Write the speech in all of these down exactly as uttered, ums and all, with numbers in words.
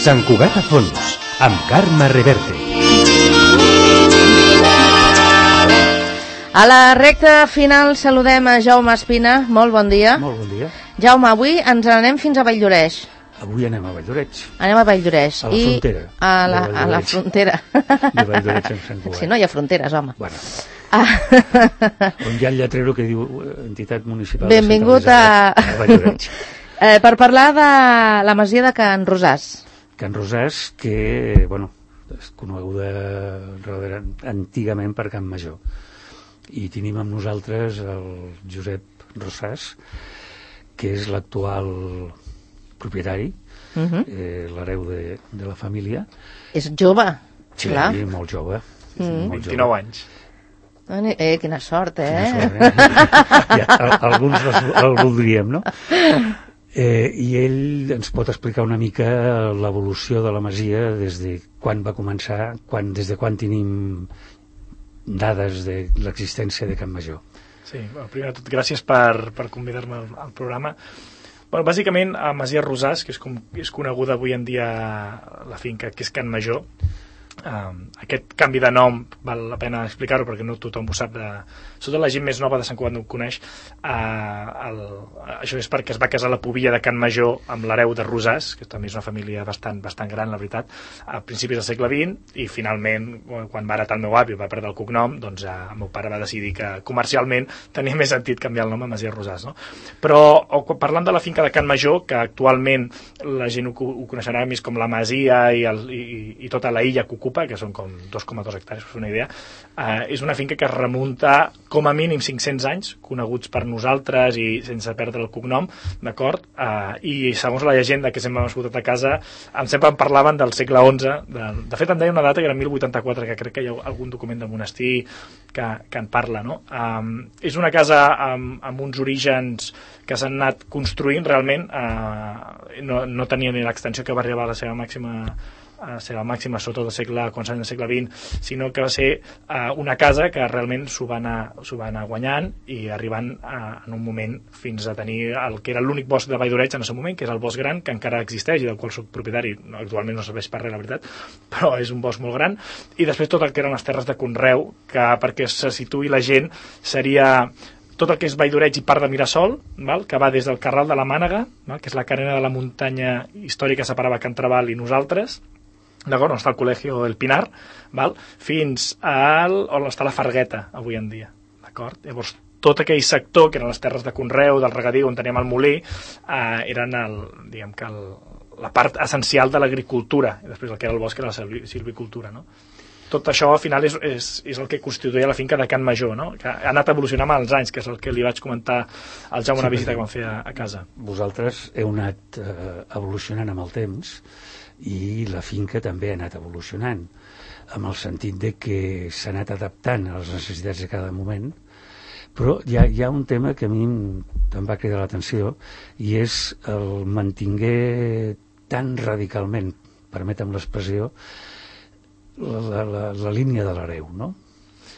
Sant Cugat a fons, amb Carme Reverte. A la recta final saludem a Jaume Espina. Molt bon dia. Molt bon dia. Jaume, avui ens n'anem fins a Valldoreix. Avui anem a Valldoreix. Anem a Valldoreix. A la I frontera. A la, a la frontera. De Valldoreix amb Sant Cugat. Si no hi ha fronteres, home. Bueno. Ah. On hi ha el lletrero que diu entitat municipal. Benvingut a... a Valldoreix. eh, per parlar de la masia de Can Rosàs. Can Rosàs, que, bueno, és coneguda antigament per Can Major. I tenim amb nosaltres el Josep Rosàs, que és l'actual propietari, uh-huh. eh, l'hereu de, de la família. És jove, sí, clar. Sí, molt jove. Mm. Molt vint-i-nou jove. Anys. Eh, quina sort, eh? Quina sort, eh? Ja, alguns el, el voldríem, no? Eh, I ell ens pot explicar una mica l'evolució de la masia des de quan va començar, quan, des de quan tenim dades de l'existència de Can Major. Sí, bueno, primer de tot, gràcies per, per convidar-me al, al programa. Bueno, bàsicament, a Masia Rosàs, que és, com, és coneguda avui en dia la finca, que és Can Major, Um, aquest canvi de nom val la pena explicar-ho perquè no tothom ho sap de... sobretot la gent més nova de Sant Cugat no ho coneix. uh, el... això és perquè es va casar la pubilla de Can Major amb l'hereu de Rosàs, que també és una família bastant, bastant gran, la veritat, a principis del segle vint, i finalment quan va heretar el meu avi va perdre el cognom, doncs uh, el meu pare va decidir que comercialment tenia més sentit canviar el nom a Masia Rosàs, no? Però o, parlant de la finca de Can Major, que actualment la gent ho, ho coneixerà més com la Masia i, el, i, i tota la illa que ocupa, que són com dos coma dos hectàrees, per fer una idea, eh, és una finca que es remunta com a mínim cinc-cents anys, coneguts per nosaltres i sense perdre el cognom, d'acord? Eh, I segons la llegenda que sempre hem escoltat a casa, em sempre em parlaven del segle onze, de, de fet em deia una data que era mil vuitanta-quatre, que crec que hi ha algun document del monestir que, que en parla, no? Eh, és una casa amb, amb uns orígens que s'han anat construint realment, eh, no, no tenia ni l'extensió que va arribar a la seva màxima a ser la màxima sota del segle, començant del segle vint, sinó que va ser uh, una casa que realment s'ho va, s'ho va anar guanyant i arribant uh, en un moment fins a tenir el que era l'únic bosc de Valldoreix en el seu moment, que és el bosc gran, que encara existeix i del qual soc propietari, no, actualment no serveix per res, la veritat, però és un bosc molt gran, i després tot el que eren les terres de conreu, que perquè se situï la gent seria tot el que és Valldoreix i part de Mirasol, val? Que va des del Carral de la Mànega, val? Que és la carena de la muntanya històrica que separava Can Trabal i nosaltres, d'acord, on està el Col·legi del Pinar, val? Fins al, on està la Fargueta avui en dia, d'acord? Llavors tot aquell sector, que eren les terres de conreu, del regadiu, on teníem el molí, eh, eren el, diguem que el, la part essencial de l'agricultura, i després el que era el bosc era la silvicultura, no? Tot això al final és, és, és el que constituïa la finca de Can Major, no? Que ha anat evolucionant amb els anys, que és el que li vaig comentar al Jaume sí, una visita que vam fer a, a casa. Vosaltres heu anat eh, evolucionant amb el temps, i la finca també ha anat evolucionant, amb el sentit de que s'ha anat adaptant a les necessitats de cada moment, però hi ha, hi ha un tema que a mi em va cridar l'atenció, i és el mantinguer tan radicalment, permetem l'expressió, la, la, la, la línia de l'hereu, no?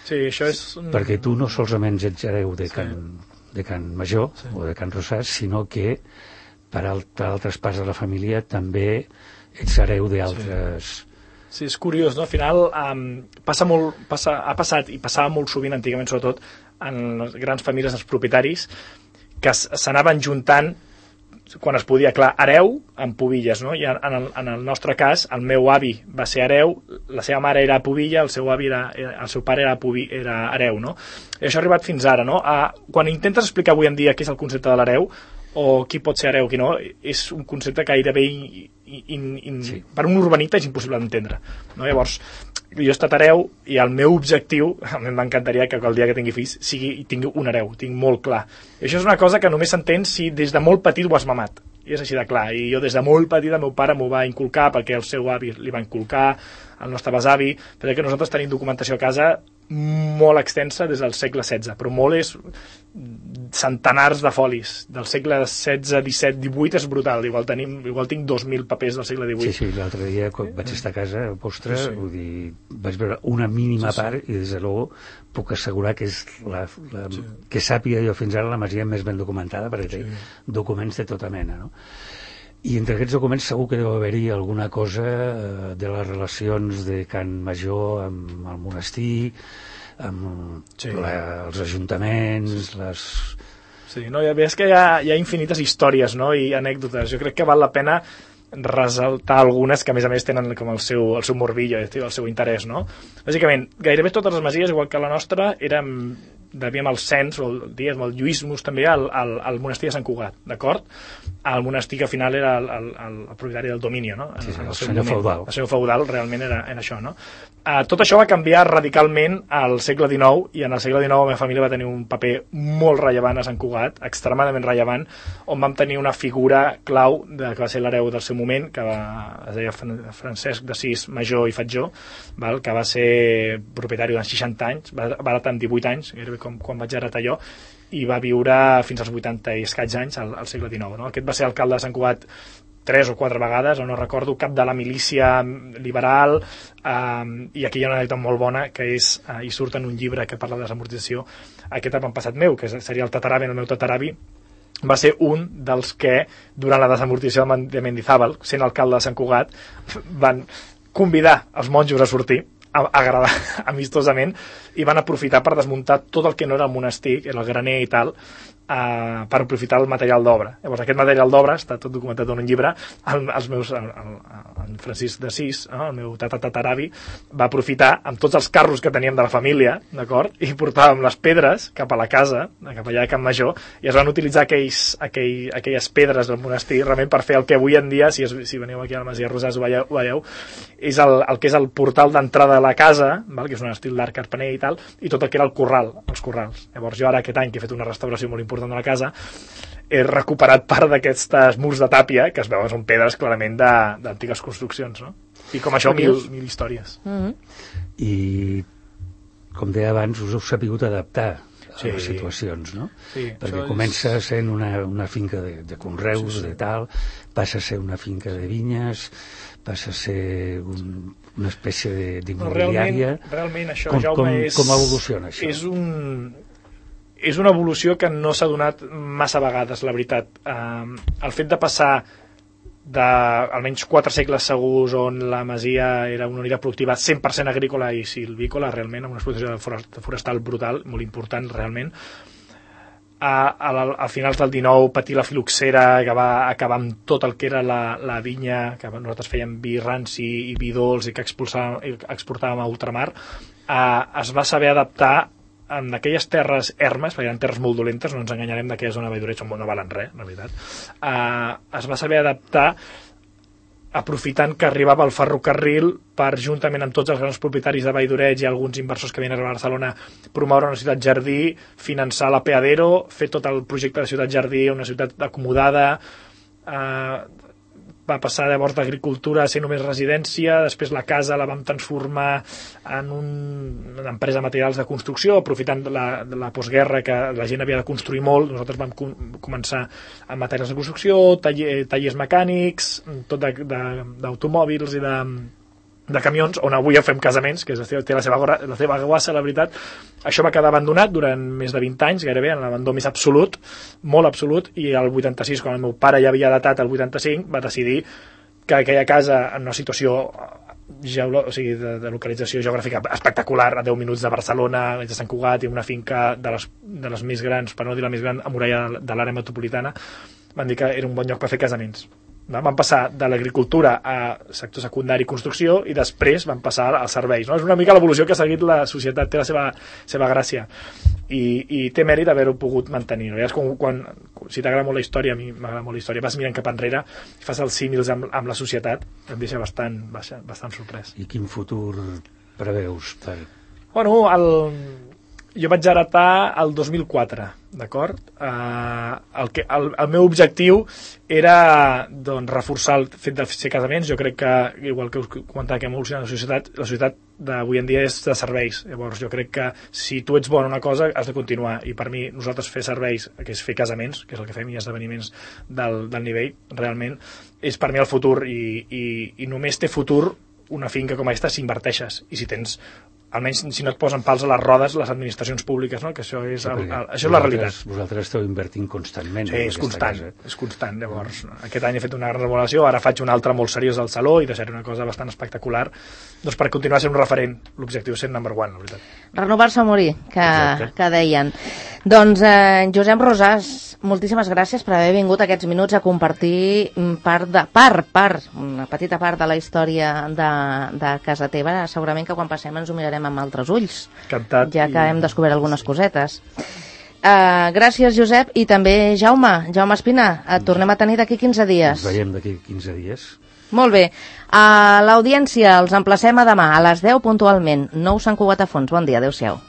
Sí, això és... Perquè tu no solament ets hereu de Can, de Can Major sí. o de Can Rosàs, sinó que per, alt, per altres parts de la família també ets hereu d'altres... Sí. sí, és curiós, no? Al final um, passa molt, passa, ha passat i passava molt sovint antigament, sobretot en les grans famílies dels propietaris, que s'anaven juntant quan es podia, clar, hereu amb pubilles, no? I en el, en el nostre cas, el meu avi va ser hereu, la seva mare era pubilla, el seu avi era, el seu pare era, pubi, era hereu, no? I això ha arribat fins ara, no? A, quan intentes explicar avui en dia què és el concepte de l'hereu, o qui pot ser hereu, qui no, és un concepte gairebé in, in, in, sí. per un urbanita és impossible d'entendre, no? Llavors jo he estat hereu i el meu objectiu, a mi m'encantaria que el dia que tingui fills sigui, tingui un hereu, tinc molt clar, i això és una cosa que només s'entén si des de molt petit ho has mamat, i és així de clar, i jo des de molt petit el meu pare m'ho va inculcar perquè el seu avi li va inculcar, el nostre besavi, perquè nosaltres tenim documentació a casa molt extensa des del segle setze, però molt és centenars de folis del segle setze, disset, divuit, és brutal, igual, tenim, igual tinc dos mil papers del segle divuit. Sí, sí, l'altre dia quan vaig estar a casa vostra, sí, sí. Vull dir, vaig veure una mínima sí, sí. part i des de luego puc assegurar que és la, la sí. que sàpiga jo fins ara la masia més ben documentada perquè sí. té documents de tota mena, no? I entre aquests documents segur que deu haver-hi alguna cosa eh, de les relacions de Can Major amb el monestir, amb sí. la, els ajuntaments, les... Sí, no, ja veus que hi ha, hi ha infinites històries, no?, i anècdotes. Jo crec que val la pena resaltar algunes que a més a més tenen com el seu, el seu morbillo, el seu interès, no? Bàsicament, gairebé totes les masies, igual que la nostra, eren devíem el cens, o el, diguem, el lluïsmus també al, al, al monestir de Sant Cugat, d'acord? El monestir que al final era el, el, el, el propietari del dominio, no? Sí, sí, el, el senyor feudal. El senyor feudal realment era, era això, no? Uh, tot això va canviar radicalment al segle dinou, i en el segle dinou la meva família va tenir un paper molt rellevant a Sant Cugat, extremadament rellevant, on vam tenir una figura clau de, que va ser l'hereu del seu moment, que va, es deia Francesc d'Assís Major i Fatjó, val? Que va ser propietari durant seixanta anys, va, va heretar amb divuit anys, gairebé com quan vaig heretar jo, i va viure fins als vuitanta i escaig anys al, al segle dinou. No? Aquest va ser alcalde de Sant Cugat tres o quatre vegades, o no recordo, cap de la milícia liberal, eh, i aquí hi ha una anècdota molt bona, que és, eh, hi surt en un llibre que parla de desamortització, aquest avantpassat meu, que seria el tataravi, el meu tataravi, va ser un dels que, durant la desamortització de Mendizábal, sent alcalde de Sant Cugat, van convidar els monjos a sortir, a agradar amistosament, i van aprofitar per desmuntar tot el que no era el monestir, el graner i tal, Uh, per aprofitar el material d'obra. Llavors aquest material d'obra està tot documentat en un llibre. El, els meus, el, el, el Francisc d'Assís, no? El meu tatatataravi, va aprofitar amb tots els carros que teníem de la família, d'acord, i portàvem les pedres cap a la casa, cap allà a Can Major, i es van utilitzar aquells, aquell, aquelles pedres del monestir realment per fer el que avui en dia, si, es, si veniu aquí a la Masia Rosàs ho veieu, ho veieu és el, el que és el portal d'entrada de la casa, val? Que és un estil d'art carpaner i tal, i tot el que era el corral, els corrals. Llavors jo ara aquest any que he fet una restauració molt important de la casa, he recuperat part d'aquestes murs de tàpia, que es veuen són pedres clarament d'antigues construccions, no? I com això, mil, mil històries. Mm-hmm. I, com deia abans, us heu sapigut adaptar a sí. les situacions, no? Sí, perquè comença és... sent una, una finca de, de conreus, sí, sí. de tal, passa a ser una finca de vinyes, passa a ser un, una espècie d'immobiliària. No, realment, realment això, com, Jaume, com, és... Com evoluciona això? És un... és una evolució que no s'ha donat massa vegades, la veritat. Um, el fet de passar de almenys quatre segles segurs on la masia era una unitat productiva cent per cent agrícola i silvícola, realment, amb una explotació forestal brutal, molt important, realment, a, a, a finals del dinou patir la filoxera, que va acabar amb tot el que era la, la vinya, que nosaltres fèiem vi ranci i vi dolç i que exportàvem a ultramar, uh, es va saber adaptar en aquelles terres ermes, perquè eren terres molt dolentes, no ens enganyarem d'aquella zona de Valldoret, no valen res, en realitat, eh, es va saber adaptar aprofitant que arribava el ferrocarril per, juntament amb tots els grans propietaris de Valldoret i alguns inversors que venien a Barcelona, promoure una ciutat jardí, finançar l'Apeadero, fer tot el projecte de ciutat jardí, una ciutat acomodada, eh, va passar llavors d'agricultura a ser només residència, després la casa la vam transformar en un, una empresa de materials de construcció, aprofitant de la, de la postguerra que la gent havia de construir molt, nosaltres vam com, començar amb materials de construcció, taller, tallers mecànics, tot d'automòbils i de, de camions, on avui ja fem casaments, que és, té la seva, la seva guassa, la veritat. Això va quedar abandonat durant més de vint anys, gairebé, en l'abandó més absolut, molt absolut, i el vuitanta-sis, quan el meu pare ja havia datat el vuitanta-cinc, va decidir que aquella casa, en una situació geolo, o sigui, de, de localització geogràfica espectacular, a deu minuts de Barcelona, de Sant Cugat, i una finca de les, de les més grans, per no dir la més gran, amurallada de l'àrea metropolitana, van dir que era un bon lloc per fer casaments. Van passar de l'agricultura a sector secundari i construcció, i després van passar als serveis, no? És una mica l'evolució que ha seguit la societat, té la seva, seva gràcia, i, i té mèrit haver-ho pogut mantenir, no? Ja és com quan, si t'agrada molt la història, a mi m'agrada molt la història, vas mirant cap enrere i fas els símils amb, amb la societat, em deixa bastant, bastant sorprès. I quin futur preveus? Per... Bueno, el... jo vaig heretar el dos mil quatre, d'acord? Uh, el, que, el, el meu objectiu era, doncs, reforçar el fet de fer casaments. Jo crec que, igual que us comentava que hem evolucionat la societat, la societat d'avui en dia és de serveis. Llavors jo crec que si tu ets bon en una cosa has de continuar, i per mi nosaltres fer serveis, que és fer casaments, que és el que fem, i esdeveniments del, del nivell, realment és per mi el futur, i, i, i només té futur una finca com aquesta si inverteixes, i si tens almenys si no et posen pals a les rodes les administracions públiques, no? Que això és, el, el, això és la realitat. Vosaltres esteu invertint constantment. Sí, és constant, casa. és constant. Llavors, aquest any he fet una gran remodelació, ara faig una altra molt seriós al saló i deixaré una cosa bastant espectacular, doncs per continuar sent un referent, l'objectiu sent number one, la veritat. Renovar-se o morir, que, que deien. Doncs, eh, Josep Rosàs, moltíssimes gràcies per haver vingut aquests minuts a compartir part, de, part, part, una petita part de la història de, de casa teva. Segurament que quan passem ens ho mirarem amb altres ulls, Encantat, ja que i... hem descobert algunes cosetes. Uh, gràcies, Josep, i també Jaume, Jaume Espina, et tornem a tenir d'aquí quinze dies. Ens veiem d'aquí quinze dies. Molt bé. A l'audiència els emplacem a demà a les deu puntualment. Nou Sant Cugat a Fons. Bon dia, adéu-siau.